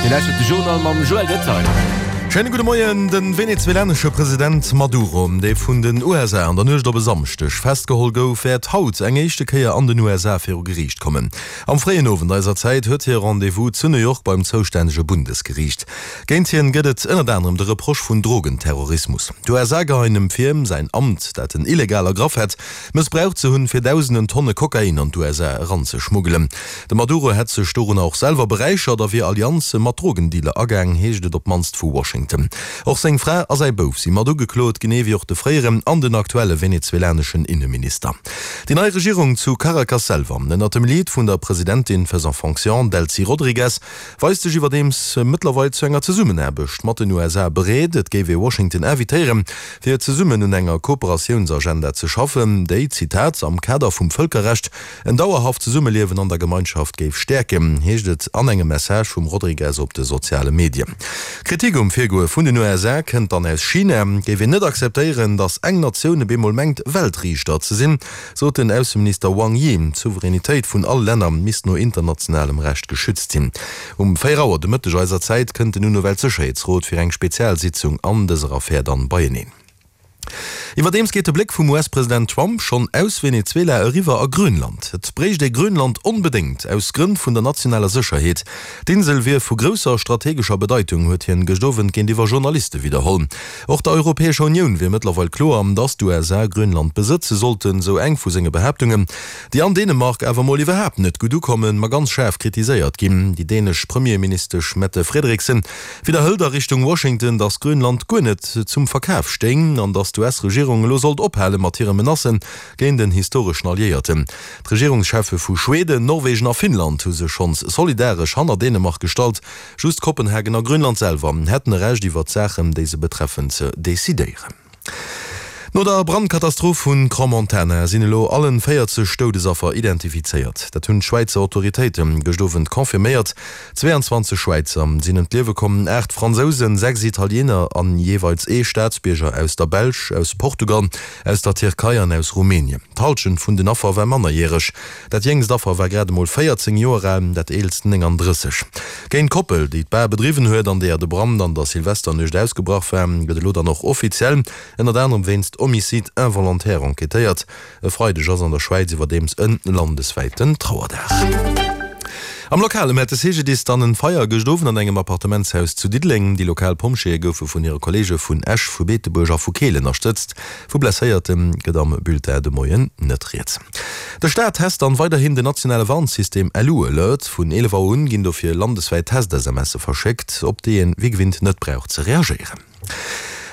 Dir lauschtert de Journal mam Joël Detail. Schéine gudde Moien. De venezuelanesche President Maduro, dee vun den USA an der Nuecht op e Samschdeg festgeholl gouf, wäert haut eng éischte Kéier an den USA viru Geriicht kommen. Am fréien Owend eiser Zäit huet hie Rendez-vous zu New York beim zoustännege Bundesgeriicht. Géint hien gëtt et ënnert anerem de Reproche vun Drogenterrorismus. D'USA geheien em vir, säin Amt, dat en illegal ergraff hätt, mëssbraucht ze hunn, fir dausenden Tonne Kokain an d'USA eranzeschmuggelen. De Maduro hätt sech dorunner och selwer beräichert a wier Allianze mat Drogendealer agaang, heescht et op d'mannst vu Washington. Och seng Fra a säi Bouf si mat ugeklot, genee wéi och de fréieren an den aktuelle venezuelaneschen Inneminister. Déi nei Regierung zu Caracas selwer, ënnert dem Lead vun der Presidentin faisant fonction Delcy Rodrigues, weist sech iwwerdeems mëttlerweil zu enger Zesummenaarbecht mat den USA bereet. Et géif ee Washington invitéieren, fir zesummen un enger Kooperatiounsagenda ze schaffen, déi, Zitat, am Kader vum Vëlkerrecht en dauerhaft Zesummeliewen an der Gemeinschaft géif stäerken, heescht et an engem Message vum Rodrigues op de soziale Medien. Kritik um Virgoe vun den USA kënnt dann aus China. Géif een net akzeptéieren, datt eng Natioun op eemol mengt, Weltriichter ze sinn, sot den Ausseminister Wang Yi. D'Souveränitéit vun all Länner misst no internationalem Recht geschützt sinn. Um 4 Auer de Mëtteg eiser Zäit kënnt den UNO-Weltsécherheetsrot fir eng Spezialsitzung an dëser Affär dann beieneen. Iwwerdeems geet de Bléck vum US-President Trump schonn aus Venezuela eriwwer a Grönland. Et bréicht ee Grönland onbedéngt, aus Grënn vun der nationaler Sécherheet. D'Insel wier vu grousser strategescher Bedeitung, huet hien gëscht Owend géintiwwer Journaliste widderholl. Och der Europäescher Unioun wier mëttlerweil kloer, datt d'USA Grönland besëtze sollten, sou eng vu senge Behaaptungen, déi an Dänemark awer mol iwwerhaapt net gutt ukommen, ma ganz schaarf kritiséiert ginn. Déi dänesch Premierministesch Mette Frederiksen widderhëlt a Richtung Washington, datt Grönland guer net zum Verkaf stéing an datt d'US-Regierung elo sollt ophale mat hire Menacë géint en historeschen Alliéierten. D'Regierungscheffe vu Schweden, Norwegen a Finnland hu sech schonns solidaresch hanner Dänemark gestallt. Just Kopenhagen a Grönland selwer hätten e Recht iwwert d'Saachen, déi se betreffen, ze decidéieren. No der Brandkatastroph vu Crans-Montana sinn elo allen 40 Doudesaffer identifizéiert. Dat hunn d'Schwäizer Autoritéite gëscht Owend confirméiert. 22 Schwäizer sinn ëm d'Liewe komm, 8 Fransousen, 6 Italiener an jeeweils ee Staatsbierger aus der Belsch, aus Portugal, aus der Tierkei an aus Rumänien. D'Hallschent vun den Affer war mannerjäreg. Dat jéngst Affer war grad emol 14 Joer al, dat eelst 39. Géint d'Koppel, déi d'Bar bedriwwen huet an deeër de Brand an der Silvesternuecht ausgebrach war, gëtt elo dann och offiziell ënnert anerem wéinst Homicide involontaire enquêtéiert. E Freideg ass an der Schwäiz iwwerdeems e landeswäiten Trauerdag. Am Lokalen hat de CGDIS dann en Feier gëscht Owend an engem Appartementshaus zu Diddeleng. Déi lokal Pompjeeë goufe vun hire Kolleege vun Esch, vu Beetebuerg a vu Keel ënnerstëtzt. Vu Blesséierte gëtt am Bulletin de Moien net rieds. De Staat test dann weiderhin den nationale Warnsystem LU-Alert. Vun 11 Auer un ginn dofir landeswäit Test-SMSe verschéckt, op déi een wéi gewinnt net brauch ze reagéieren.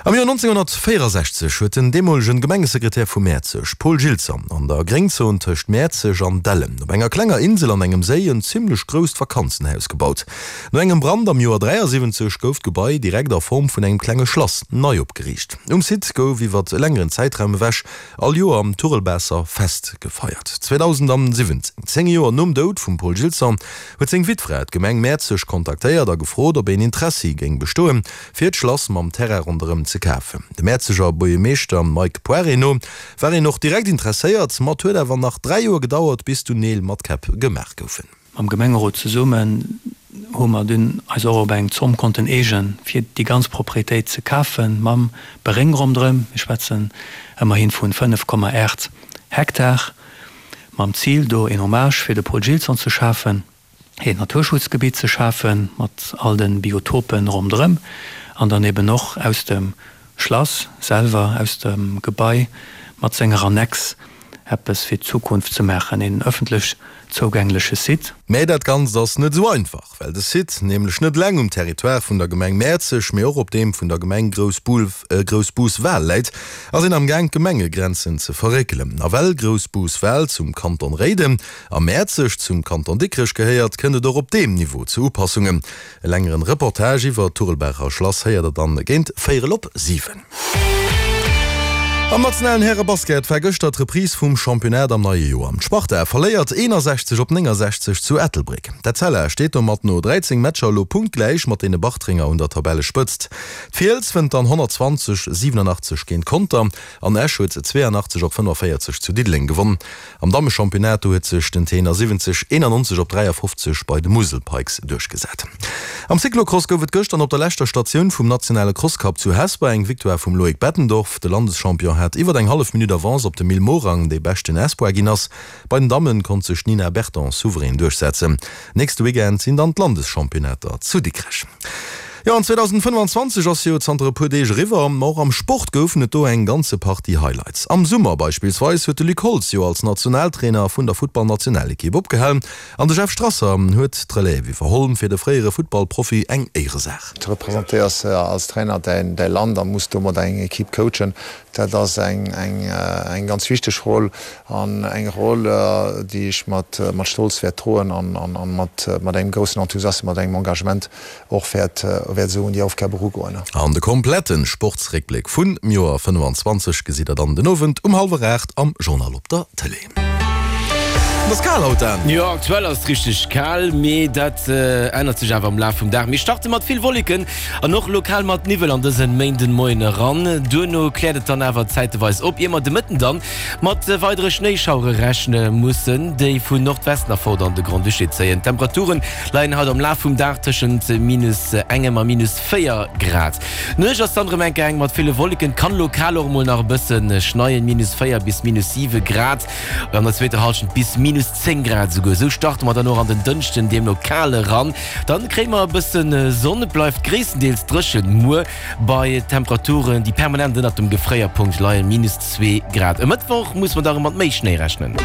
Am Joer 1964 huet den deemolegen Gemengesekretär vu Mäerzeg, Paul Gilson, an der Gréngzon tëscht Mäerzeg an Dellen op enger klenger Insel an engem Séi en zimmlech grousst Vakanzenhaus gebaut. No engem Brand am Joer 73 gouf d'Gebai direkt a Form vun engem klenge Schlass nei opgeriicht. Um Site gouf iwwer e längeren Zäitraum ewech all Joer am Turelbaasser Fest gefeiert. 2017, 10 Joer nom Doud vum Paul Gilson, huet seng Wittfra d'Gemeng Mäerzeg kontaktéiert a gefrot, ob een Interessi géing bestoen, fir d'Schlass mam Terrain ronderëm ze kafen. Dem Mäerzeger Buergermeeschter Mike Poiré no war een och direkt interesséiert, ma et huet awer nach 3 Joer gedauert, bis dunn Neel mat Käpp gemaach goufen. Mam Gemengerot zesummen hu mer dunn eis och op eng Zomm konnten eegen, fir déi ganz Propriétéit ze kafen, mam Beréng ronderëm. Mir schwätzen ëmmerhi vu 5,8 Hektar, mam Zil, do een Hommage fir de Paul Gilson ze schafen. een Naturschutzgebitt ze schafe mat all de Biotopen ronderëm an dann eben och aus dem Schlass selwer, aus dem Gebai mat senger Annex eppes fir d'Zukunft ze maachen, een ëffentlech zougängleche Site. Mä dat Ganzt ass net esou einfach, well de Site nämlech net eleng um Territoire vun der Gemeng Mäerzeg, mee och op deem vun der Gemeng Groussbus-Wal läit, ass een am Gaang d'Gemengegrenzen ze verréckelen. A well Groussbus-Wal zum Kanton Réiden A Mäerzeg zum Kanton Dikrech gehéiert, kënnt et och op deem Niveau zu Upassungen. E längeren Reportage iwwer d'Turelbaacher Schlass héiert der dann géint véierel op 7. Am nationalen Härebasket war gëschter d'Reprise vum Championnat am neie Joer. D'Sparta verléiert 61 op 69 zu Ettelbréck. D'Etzella steet domat no 13 Matcher elo punktgläich mat deene Bartrenger un der Tabellespëtzt. D'Fiels wënnt dann 120, 87 géint Conter an Esch huet 82 op 45 zu Diddeleng gewonn. Am Dammechampionnat, do huet sech den T71 91 op 53 bei de Musel Pikes duerchgesat. Am Cyclocross gouf et gëschter op der leschter Statioun vum nationale Crosscup zu Hesper eng Victoire vum Loïc Bettendorf. De Landeschampion hat iwwer eng hallef Minutt Avance op de Mil Morang, dee beschten Espoir ginn ass. Bei den Damme konnt sech d'Nina Berton souverän duerchsetzen. Nächste Weekend sinn dann d'Landeschampionnaater zu Dikrech. Jo, an 2025 ass jo zanter e puer Deeg eriwwer. Ma och am Sport goufen et do eng ganze Partie Highlights. Am Summer beispillsweis huet de Luc Holtz jo als Nationaltrainer vun der Futtballnationalekipp opgehal an de Jeff Strasser huet d'Relève iwwerholl. Fir de fréiere Futtballprofi eng Éieresaach. Du representéiers als Trainer däi Land a muss domat eng Ekipp coachen. Dat ass eng ganz wichteg Roll an eng Roll, déi ech mat Stolz wäert droen an mat engem groussen Enthusiasme, mat engem Engagement och wäert esou un déi Aufgab erugoen. An de kompletten Sportsréckbléck vun Joer 25 gesitt der dann den Owend um hallwer 8 am Journal op der Tëlee. Et ass kal haut, Dan. Jo, aktuell ass et richteg kal, mee dat ännert sech awer am Laf vum Dag. Mir starte mat vill Wolleken an och lokal mat Niwwel an dësen Méindenmoien eran. Duerno kläert et dann awer zäiteweis op, ier mer de Mëtten dann mat weidere Schnéischauere rechne mussen, déi vu Nordwesten erfort an de Grand-Duché zéien. D'Temperature leien haut am Laf vum Dag tëschent minus engem a minus 4 Grad. D'Nuecht ass dann erëm enke eng mat ville Wolleken, kann lokal och emol nach e bësse schneien, minus 4 bis minus 7 Grad, an der zweeter Hallschent bis minus 10 Grad esouguer. Esou starte mer dann och an den Dënschden deemno kal eran. Dann kréie mer e bësse Sonn, et bleift gréisstendeels dréchen muer bei Temperaturen, déi permanent ënnert dem Gefréierpunkt leien, minus 2 Grad. E Mëttwoch muss mer da erëm mat méi Schnéi rechnen.